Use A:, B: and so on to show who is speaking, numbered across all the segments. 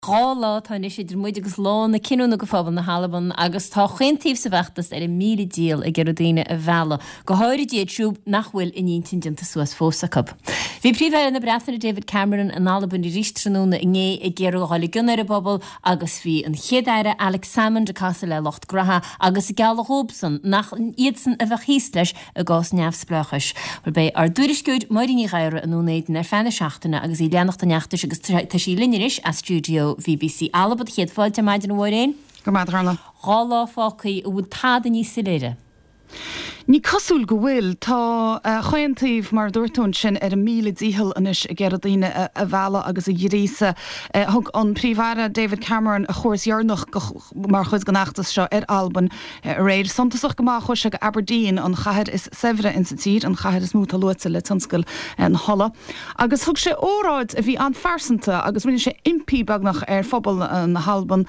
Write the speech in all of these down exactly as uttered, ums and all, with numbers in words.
A: Dhá lá atá anois idir muid agus lá na cinniúna go phobal na hAlban agus tá chaon taobh sa bhfeachtas ar a míle dícheall ag iarraidh daoine a mhealladh, go háirid iad siúd nach bhfuil a n-intinn déanta suas fós acu. Bhí Príomh-Aire na Breataine David Cameron in Albain arís tráthnóna inné ag iarraidh a dhul i gcion ar an bpobal agus bhí an Chéad-Aire Alex Salmond ag casadh le lucht graithe agus ag gealladh dhóibhsan nach iadsan a bheadh thíos leis i gcás neamhspleáchais. Bhuel beidh ár dtuairisceoir Máirín Ní Ghadhra i nDún Éideann ar feadh na seachtaine agus í ag leanacht an fheachtais agus tá sí linn anois as stiúideo B B C Alba. Céad fáilte ar maidin, a Mháirín.
B: Go maith.
A: Dhá lá fágtha, an bhfuil tada níos soiléire?
B: Ní cosúil go bhfuil. Tá chaon taobh, mar a dúirt tú ansin, ar a míle dícheall anois ag iarraidh daoine a mhealladh agus a ghríosadh. Thug an Príomh-Aire David Cameron a chuairt dheireanach mar chuid den fheachtas seo ar Albain aréir. Suntasach go maith, chuaigh sé go Aberdeen, an chathair is saibhre insa tír, an chathair is mó atá luaite le tionscal na hola. Agus thug sé óráid a bhí an-phearsanta agus rinne sé impí beagnach ar phobal na hAlban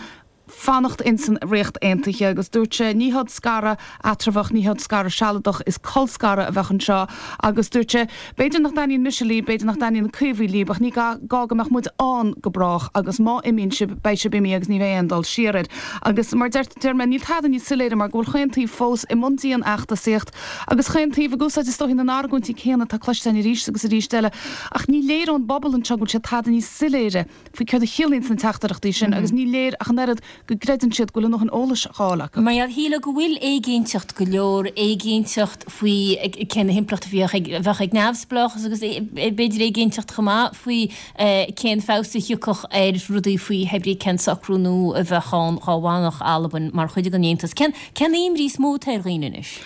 B: fanacht insan Ríocht Aontaithe agus dúirt sé ní hod scaradh eatramhach, ní hod scaradh sealadach, is colscaradh a bheadh anseo agus dúirt sé b'fhéidir nach dtaitníonn mise libh, b'fhéidir nach dtaitníonn na Caomhaigh libh, ach ní gá go mbeadh muid ann go brách agus má imíonn sibh beidh sibh imithe agus ní bheidh aon dul siar air. Agus mar deir deir mé níl tada níos soiléire mar go bhfuil chaon taobh fós i mbun dianfheachtasaíocht agus chaon taobh ag úsáid is dóichí na n-argóintí céanna atá cloiste arís agus arís eile ach ní léir ón bpobal anseo go bhfuil sé tada níos soiléire faoi céard a chiallaíonn na teachtaireachtaí sin agus ní léir ach an oiread go gcreideann siad go bhfuil a ndóthain eolais á fháil acu.
A: Mar shílfeá go bhfuil éiginnteacht go leor, éiginnteacht faoi cén impleacht a bheadh ag neamhspleáchas agus b'fhéidir éiginnteacht chomh maith faoi cén feabhas a thiocfadh ar rudaí faoi hé brí cén socrú nua a bheadh ann dhá bhfanfadh Albain mar chuid den Aontas. Cén cén imní is mó atá ar dhaoine anois?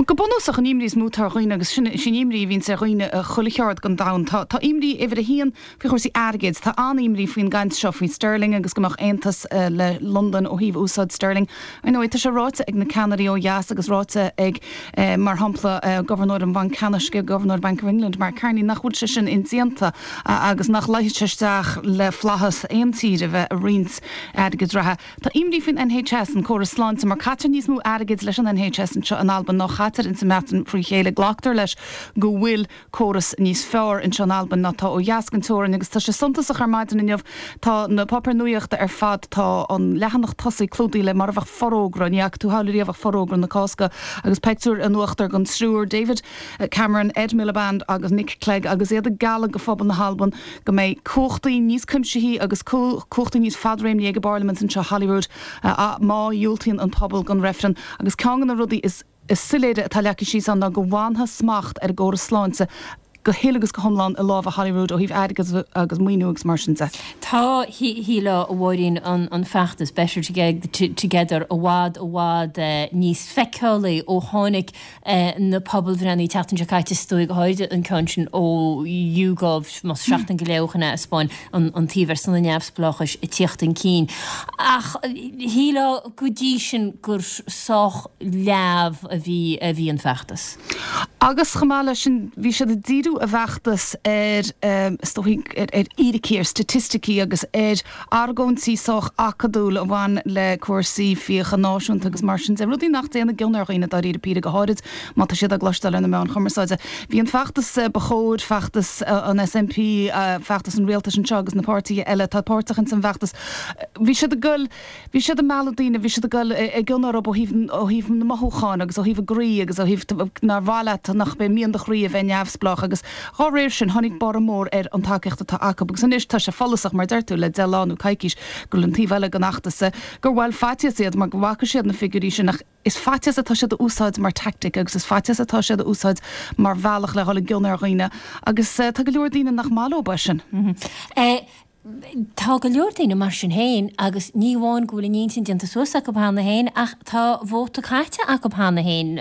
B: Go bunúsach an imní is mó atá ar dhaoine agus sin sin imní a bhíonn ar dhaoine chuile cheard den domhan. Tá tá imní uimhir a haon faoi chúrsaí airgid, tá an-imní faoin gcaint seo faoi sterling agus go mbeadh aontas le Londain ó thaobh úsáid sterling. Ar ndóigh tá sé ráite ag na ceannairí ó dheas agus ráite ag mar shampla Gobharnóir an Bhainc Ceannais, Gobharnóir Bank of England Mark Carney nach bhfuil sé sin indéanta agus nach luífidh sé isteach le flaitheas aon tír a bheith ag roinnt airgid reatha. Tá imní faoin N H S, an córas sláinte, mar caitear níos mó airgid leis an N H S anseo in Albain ná chaitear insa mBreatain faoi chéile. Glactar leis go bhfuil córas níos fearr anseo in Albain ná tá ó dheas den teorainn agus tá sé suntasach ar maidin inniu tá na páipéir nuachta ar fad, tá an leathanach tosaigh clúdaithe le mar a bheadh forógra, ní fhaca tú thall riamh ach forógra na Cásca agus pictiúr in uachtar den triúr David Cameron, Ed Miliband agus Nick Clegg agus iad ag gealladh go phobal na hAlban go mbeidh cumhachtaí níos cuimsithí agus cumhachtaí níos fadréimní ag an bparlaimint anseo Holyrood má dhiúltaíonn an pobal don reifreann agus ceann de na rudaí is is soiléire atá leagtha síos ann ná go bhfanfaidh smacht ar an gcóras sláinte go huile agus go hiomlán i lámha Holyrood ó thaobh airgead agus maoiniú agus mar sin de.
A: Tá shílfeá, a Mháirín, an an feachtas Better Together i bhfad i bhfad níos feiceálaí ó tháinig na pobalbhreitheanna an tseachtain seo caite, is dóigh, go háirid an ceann sin ó YouGov más seachtain go leith ó shin a thaispeáin an taobh ar son an neamhspleáchais ag tíocht chun cinn. Ach shílfeá go dtí sin gur sách leamh a bhí a bhí an feachtas.
B: Agus chomh maith leis sin bhí siad ag díriú a bhfeachtas ar is dóichí ar fhíricí, ar staitisticí agus ar argóintí sách acadúil a bhain le cúrsaí fiacha náisiúnta agus mar sin de, rudaí nach dtéann i gcion ar dhaoine dáiríre píre, go háirid má tá siad á gcloisteáil ar na meáin chumarsáide. Bhí an feachtas ba chóir, feachtas an S N P, feachtas an rialtais anseo agus na páirtithe eile atá páirteach in san bhfeachtas, bhí siad ag goil bhí siad ag mealladh daoine, bhí siad ag goil i gcion orthu ó thaobh ó thaobh na mothúcháin agus ó thaobh a gcroí agus ó thaobh nár mhaith leat nach b'é mian do chroí a bheith neamhspleách agus dá réir sin tháinig borradh mór ar an tacaíocht atá acu agus anois tá sé follasach mar deir tú le deich lá nó coicís go bhfuil an taobh eile den fheachtas gur bhuel faitíos iad mar go bhfaca siad na figiúirí sin ach is faitíos atá siad a úsáid mar tactic agus is faitíos atá siad a úsáid mar bhealach le dhul i gcion ar dhaoine agus uh, tá go leor daoine nach maith leo sin.
A: Mm -hmm. eh, Tá go leor daoine mar sin féin agus ní amháin go bhfuil a n-intinn déanta suas acu cheana féin ach tá vóta caite acu cheana féin.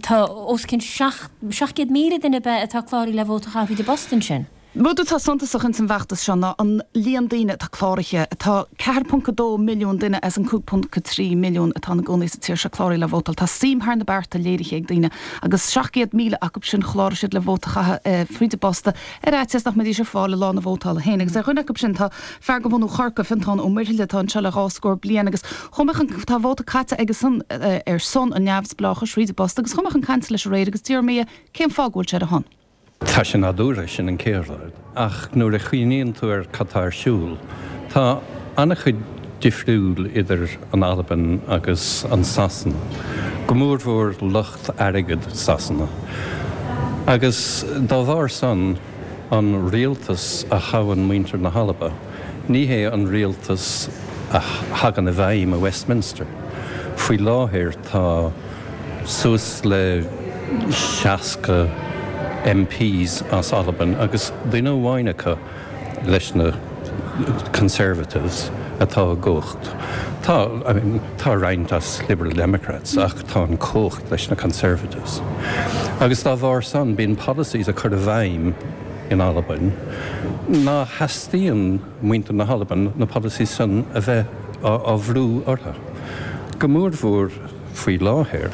A: Tá os cionn seacht gcéad míle duine be atá cláraithe le vóta a chaitheamh i bpost sin.
B: Rud atá suntasach in san bhfeachtas seo ná an líon daoine atá cláraithe, atá ceathair ponc a dó milliún duine as an cúig ponc a trí milliún atá ina gcónaí sa tír seo cláraithe le vótáil. Tá suim thar na bearta léirithe ag daoine agus seacht gcéad míle acu sin chláraigh siad le vóta a chaitheamh fríd an bpost ar fhaitíos nach mbeidís ar fáil i lá na vótála féin. Agus ar dhuine acu sin tá fear de bhunadh Chorcaí, Fiontán Ó Muirthile atá anseo le dhá scór bliain agus chomh tá vóta caite aige san ar son an neamhspleáchais fríd an bpost agus chomh chun cainte leis aréir agus d'iarr mé cén fáth go bhfuil sé ar a shon.
C: Tá sé nádúrtha, sin an chéad rud, ach nuair a chuimhníonn tú ar cad atá ar siúl, Tá an-chuid difriúil idir an Albain agus an Sasana, go mórmhór lucht airgid Sasana. Agus dá bharr san an rialtas a thoghann muintir na hAlba, ní hé an rialtas a thagann i bhfeidhm i Westminster. Faoi láthair tá suas le seasca MPs as Albain agus duine amháin acu leis na Conservatives atá i gcumhacht. Tá I mean, tá roinnt as Liberal Democrats ach tá an cumhacht leis na Conservatives. Agus dá bharr san bíonn policies a chur i bhfeidhm in Albain, ná theastaíonn muintir na hAlban na policies san a bheith á bhrú orthu. Go mórmhór faoi láthair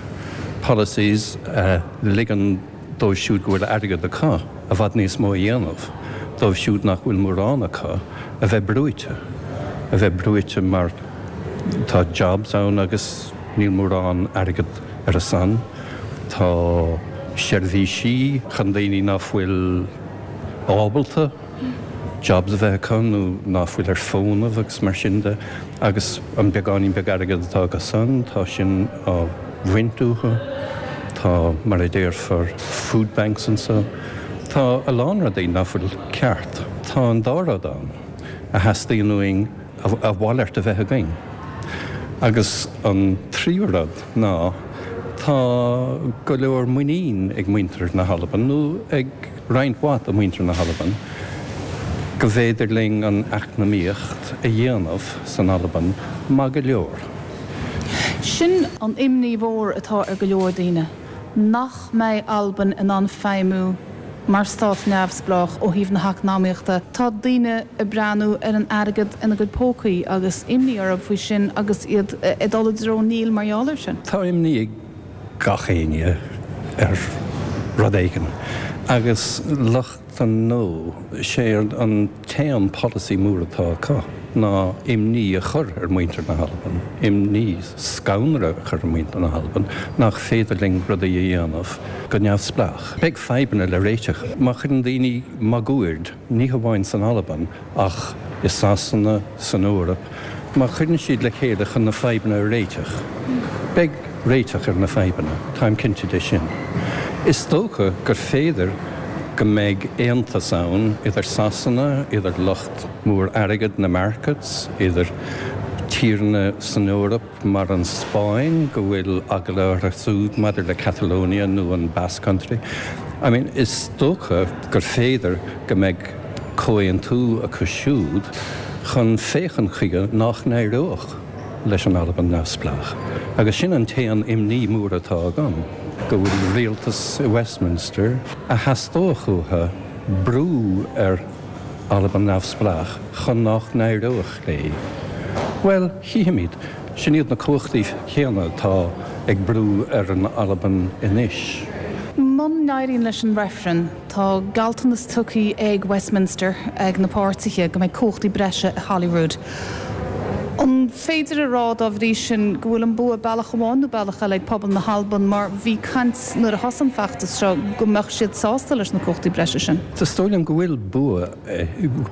C: policies a ligeann dóibh siúd go bhfuil airgead acu i bhfad níos mó a dhéanamh, dóibh siúd nach bhfuil mórán acu a bheith brúite, a bheith brúite mar tá jobs ann agus níl mórán airgead ar a son, tá seirbhísí chun daoine nach bhfuil ábalta jobs a bheith acu nó nach bhfuil ar fónamh agus mar sin de agus an beagáinín beag airgead atá acu san, tá sin á bhaint uathu, tá mar a déarfar food banks anseo. Tá a lán rudaí nach bhfuil ceart. Tá an dá rud ann a theastaíonn uainn a mhalairt a bheith againn. Agus an tríú rud ná tá go leor muinín ag muintir na hAlban nó ag roinnt mhaith de mhuintir na hAlban go bhféidir linn an eacnamaíocht a dhéanamh san Albain maith go leor.
B: Sin an imní mhór atá ar go leor daoine, nach mbeidh Albain in ann feidhmiú mar stát neamhspleách ó thaobh na heacnamaíochta. Tá daoine ag breathnú ar an airgead ina gcuid pócaí agus imní orthu faoi sin agus iad ag dul i dtreo níl mar gheall air sin.
C: Tá imní ag gach éinne ar rud éigin agus lucht an No, sé an t-aon polasaí mór atá acu ná imní a chur ar mhuintir na hAlban, imní scanradh a chur ar mhuintir na hAlban nach féidir linn rudaí a dhéanamh go neamhspleách. Beidh fadhbanna le réiteach. Má chuireann daoine máguaird, ní hamháin san Albain ach i Sasana, san Eoraip, má chuireann siad le chéile chun na fadhbanna a réiteach, beidh réiteach ar na fadhbanna, táim cinnte de sin. Is dócha gur féidir go mbeidh aontas ann idir Sasana, idir lucht mór airgead na markets, idir tíortha san Eoraip mar an Spáinn go bhfuil eagla orthu siúd maidir le Catalonia nó an Basque Country. I mean, is dócha gur féidir go mbeidh comhaontú acu siúd chun féachaint chuige nach n-éireodh leis an Albain neamhspleách. Agus sin an t-aon imní mór atá agam, go bhfuil rialtas i Westminster a theastódh uathu brú ar Albain neamhspleách chun nach n-éireodh léi. Bhuel, chífimid, sin iad na cumhachtaí céanna atá ag brú ar an Albain anois.
B: Muna n-éiríonn leis an reifreann, tá gealltanas tugtha ag Westminster ag na páirtithe go mbeidh cumhachtaí breise i Holyrood. An féidir a rá dá bhrí sin go bhfuil an bua bealach amháin nó bealach eile ag pobal na hAlban mar bhí caint nuair a thosaigh an feachtas seo go mbeadh siad sásta leis na cumhachtaí breise sin?
C: Is dóigh liom go bhfuil bua,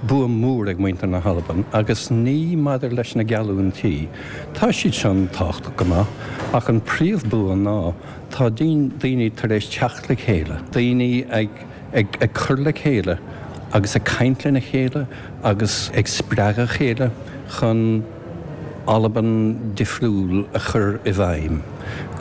C: bua mór ag muintir na hAlban agus ní maidir leis na geallúintí. Tá siad sin tábhachtach go maith, ach an príomhbua ná tá daoine tar éis teacht le chéile, daoine ag, ag, ag cur le chéile agus ag caint lena chéile agus ag spreagadh a chéile chun Albain difriúil a chur i bhfeidhm.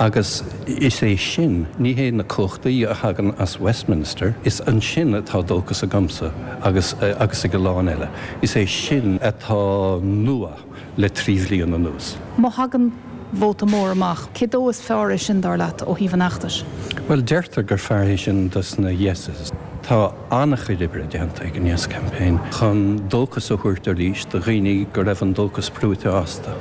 C: Agus is é sin, ní hé na cumhachtaí a thagann as Westminster, is ansin atá dóchas agamsa agus, agus ag a lán eile. Is é sin atá nua le trí bhliain anuas.
B: Má thagann vóta mór amach, cé dó is fearr é sin dar leat ó thaobh an fheachtais?
C: Bhuel, deirtear gur fearr é sin dos na Yeses. Tá an-chuid oibre déanta ag an Yes Campaign chun dóchas a thabhairt arís do dhaoine go raibh an dóchas brúite astu.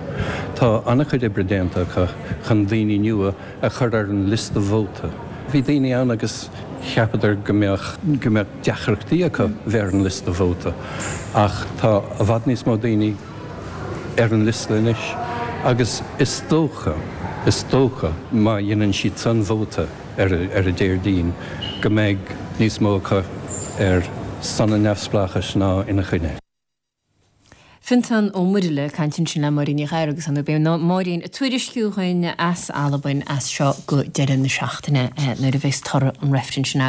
C: Tá an-chuid oibre déanta acu chun daoine nua a chur ar an liosta vóta. Bhí daoine ann agus cheapadar go mbeadh go mbeadh deacrachtaí acu bheith ar an liosta vóta, ach tá i bhfad níos mó daoine ar an liosta anois agus is dócha, is dócha má dhéanann siad san vóta ar ar an Déardaoin go mbeidh níos mó acu ar son an neamhspleáchais ná ina choinne.
A: Fionntán Ó Muirthile ag caint ansin le Máirín Ní Ghadhra agus an beidh Máirín ag tuairisciú dhúinn as Albain as seo go deireadh na seachtaine nuair a bheas toradh an reifrinn sin.